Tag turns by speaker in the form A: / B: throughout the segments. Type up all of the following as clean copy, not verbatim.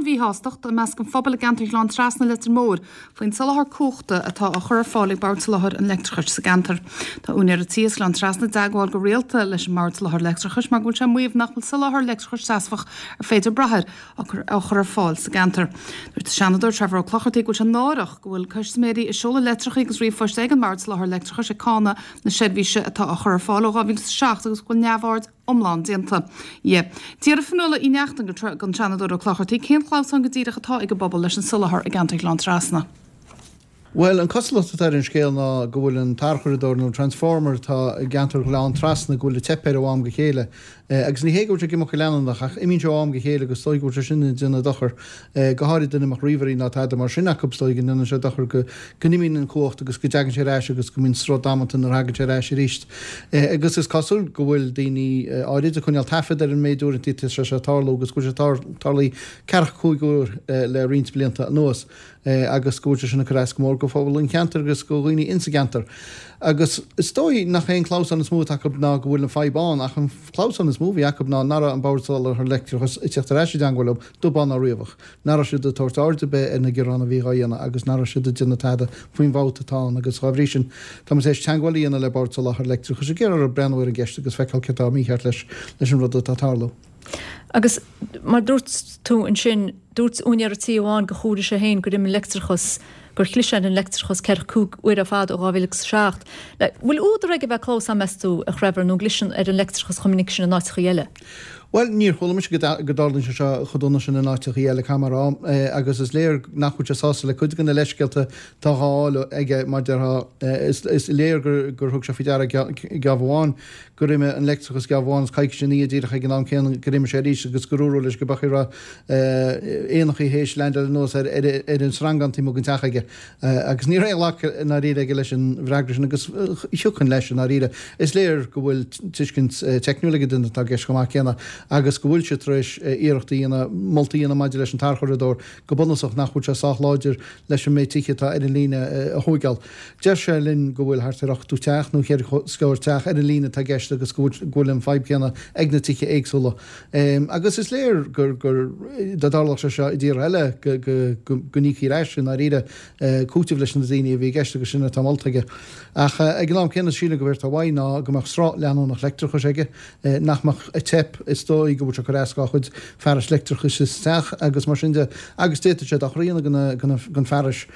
A: an-mhíshástacht i measc an phobail i gceantar Ghleann Trasna, Leitir Móir, faoin soláthar cumhachta atá á chur ar fáil ag Bord Soláthair an Leictreachais sa gceantar. Tá úinéir an tí as Gleann Trasna i dteagmháil go rialta leis an mBord Soláthair Leictreachais mar go bhfuil sé ag maíomh nach bhfuil soláthar leictreachais seasmhach ar féidir brath air á chur ar fáil sa gceantar. Dúirt an Seanadóir Trevor Ó Clochartaigh go bhfuil sé náireach go bhfuil custaiméirí ag seoladh litreacha agus ríomhphoist ag an mBord Soláthair Leictreachais ag cáineadh na seirbhíse atá á chur ar fáil ó 2007 agus go bhfuil neamhaird iomlán déanta dhe. D'fhiafraigh Fionnuala Uí Neachtain den Seanadóir Ó Clochartaigh cén clamhsán go díreach atá ag an bpobal leis an soláthar i gceantar Ghleann Trasna.
B: Bhuel, an cosúlacht atá ar an scéal ná go bhfuil an tarchuradóir nó an transformer atá i gceantar Ghleann Trasna go bhfuil ag teip air ó am go chéile. Agus ní hé go bhfuil sé ag imeacht go leanúnach ach imíonn sé ó am go chéile agus is dóigh go bhfuil sé sin ag déanamh dochar, go háirid duine a mbeadh ríomhairí ná tada mar sin acu, is dóigh go ndéanann sé dochar go go n-imíonn an chumhacht agus go dtagann sé ar ais agus go mbíonn sruth damanta nuair a thagann sé ar ais arís. Agus is cosúil go bhfuil daoine áirid ag coinneáil taifead ar an méid uaireanta atá sé seo ag tarlú agus go bhfuil sé tarlaithe ceathracha 5 uair le roinnt blianta anuas agus go bhfuil sé sin ag cur as go mór go phobal an cheantair agus go dhaoine insa gceantar. Agus is dóigh nach é an clamhsán is mó atá acu ná go bhfuil an fadhb ann ach an clamhsán is mó a bhí acu ná nach raibh an Bord Soláthair Leictreachais ag teacht ar ais i dteangmháil leo, dubh bán ná riabhach. nach raibh siad ag tabhairt aird ar bith ar na gearáin a bhí dhá dhéanamh agus nach raibh siad ag déanamh tada faoin bhfabht atá ann agus dhá bhrí sin tá muid tar éis teangmháil a dhéanamh le Bord Soláthair Leictreachais ag iarraidh orthu breathnú ar an gceist agus feiceáil céard atá mícheart leis leis an rud atá ag tarlú.
C: Agus mar dúirt tú ansin, dúirt úinéir an tí amháin gur chomhair sé féin gur imigh an leictreachas, gur chlis ar an leictreachas ceathracha cúig uair ar fad ó 2007. Bhfuil údar aige a bheith ag clamhsán, meas tú, a Threvor, nó an gcliseann ar an leictreachas chomh minic sin in áiteachaí eile?
B: Bhuel, níor chuala mise go dtarlaíonn sé seo chomh dona sin in áiteachaí eile, caithfidh mé a rá, agus is léir nach bhfuil sé sásta le cuid de na leithscéalta atá dhá fháil aige, mar déarfá. Is léir gur thug sé faoi deara geábh amháin gur imigh an leictreachas geábh amháin agus coicís ina dhiaidh díreach ag an am céanna gur imigh sé arís agus gur dúradh leis go b'fhéidir go raibh éanachaí théis leaindeáil anuas ar an sreangán taobh amuigh den teach aige. Agus ní raibh aon ghlacadh i ndáiríre aige leis an bhfreagra sin agus thiocfainn leis i ndáiríre. Is léir go bhfuil tuiscint teicniúil ag an duine atá i gceist chomh maith céanna agus go bhfuil sé tar éis iarracht a dhéanamh, moltaí a dhéanamh maidir leis an tarchuradóir go bunúsach nach bhfuil sé sách láidir leis an méid tithe atá ar an líne a thóigeáil. Deir sé linn go bhfuil thart ar 80 teach nó cheithre scór teach ar an líne atá i gceist agus go bhfuil an fadhb chéanna ag na tithe éagsúla. Agus is léir gur, dá dtarlódh sé seo i dtíortha eile, go n-íocfaí ar ais, i ndáiríre, cúiteamh leis na daoine a bhí i gceist agus sin atá molta aige. Ach ag an am céanna, sílim go b'éard atá uaidh ná go mbeadh sruth leanúnach leictreachais aige, nach mbeadh ag teip. Is dóigh go bhfuil sé ag cur as dá chuid fearais leictreachais sa teach agus mar sin de, agus d'fhéadfadh sé dochar a dhéanamh don fearais,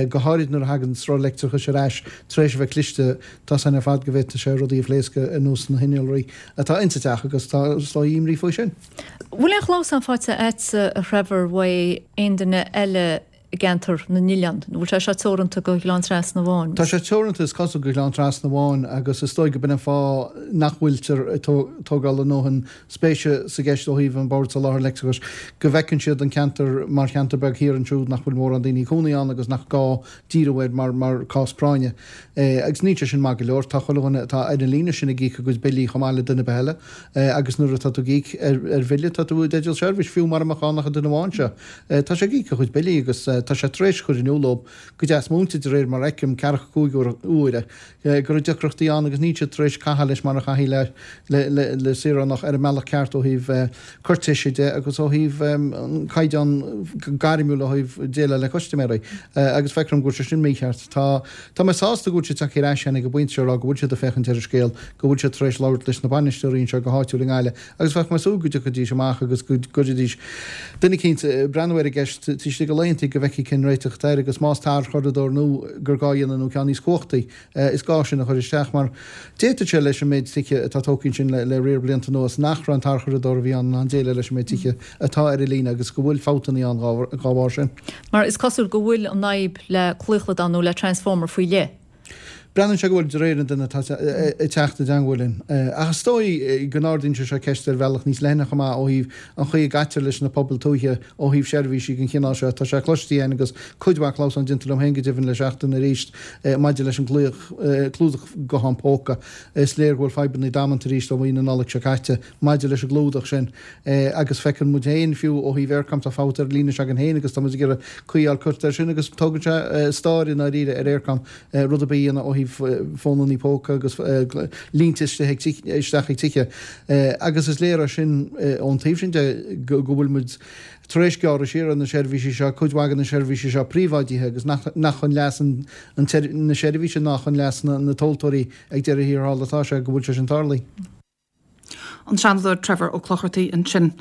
B: go háirid nuair a thagann sruth leictreachais ar ais tar éis a bheith cliste. Tá 's againn ar fad go bhféadfadh sé rudaí a phléascadh ar nós na hinnealraí atá insa teach agus tá is dóigh imní faoi sin.
C: Bhfuil aon chlamhsán faighte a'dsa a Threvor uaidh aon duine eile i gceantar na n-oileán? Nó bhfuil sé seo teoranta go Ghleann Trasna amháin?
B: Tá sé teoranta is cosúil go Gleann Trasna amháin agus is dóigh go b'in an fáth nach bhfuiltear ag tógáil a ndóthain spéise sa gceist ó thaobh an Bord Soláthair Leictreachais, go bhfeiceann siad an ceantar mar cheantar beag thiar ansiúd nach bhfuil mórán daoine ag cónaí ann agus nach gá díriú air mar cás práinne. Agus níl sé sin maith go leor. Tá chuile dhuine atá ar an líne sin ag íoc a gcuid billí chomh maith le duine ar bith eile. Agus nuair atá tú ag íoc ar bhille, tá tú i dteideal seirbhís, fiú mara mbeadh ann ach an duine amháin seo. Tá sé ag íoc a chuid billí agus tá sé tar éis cur in iúl dóibh go deas múinte, de réir mar a fheicim, ceathracha 5 uaire, go raibh deacrachtaí ann agus níl siad tar éis caitheamh leis mar a chaithfí le le saoránach ar an mbealach ceart ó thaobh cúirtéise de agus ó thaobh an caighdeán gairmiúil ó thaobh déileáil le custaiméirí agus feictear dom go bhfuil sé sin mícheart. Tá tá mé sásta go bhfuil siad tagtha ar ais ag an bpointe seo a rá go bhfuil siad ag féachaint ar an scéal, go bhfuil siad tar éis labhairt leis na bainisteoirí anseo go háitiúil i nGaillimh agus bheadh mé ag súil go dtiocfaidís amach agus go gcuirfidís duine eicínt ag breathnú ar an gceist taobh istigh de laethanta go bhfeicfí cén réiteach atá air agus más tarchuradóir nua gur gá a dhéanamh nó ceann níos cumhachtaí, is gá sin a chur isteach mar d'fhéadfadh sé leis an méid tithe atá tógtha ansin le riar blianta anuas nach raibh an tarchuradóir a bhí ann in ann déileáil leis an méid tithe atá ar an líne agus go bhfuil fabhtanna ann dhá bharr sin.
C: Mar is cosúil go bhfuil an fhadhb le claochlódán nó le transformer faoi leith.
B: Breathnaíonn sé go bhfuil, de réir an duine atá ag teacht i dteangmháil linn. Ach is dóigh go n-ardaíonn sé seo ceist ar bhealach níos leithne chomh maith ó thaobh an chaoi a gcaitear leis na pobail tuaithe ó thaobh seirbhísí den chineál seo. Tá sé cloiste againn agus cuid mhaith clamhsán déanta liom féin go deimhin le seachtain arís maidir leis an gclúdach guthán póca. Is léir go bhfuil fadhbanna damanta arís ó mhí na Nollag seo caite maidir leis an gclúdach sin. Agus feiceann muid féin, fiú ó thaobh Eircom, tá fabht ar an líne s'againn féin agus tá muid ag iarraidh caoi a fháil curtha air sin agus tógann sé stair i ndáiríre ar Eircom rud ar bith a dhéanamh ó thaobh. thaobh fónannaí póca agus línte isteach ag tithe. Agus is léir é sin ón taobh sin de go bhfuil muid tar éis gearradh siar ar na seirbhísí seo, cuid mhaith de na seirbhísí seo príobháidithe agus nach chun leas na seirbhíse ná chun leas na tomhaltóirí ag deireadh thiar thall atá sé go bhfuil sé sin tarlaithe.
A: An Seanadóir Trevor Ó Clochartaigh ansin.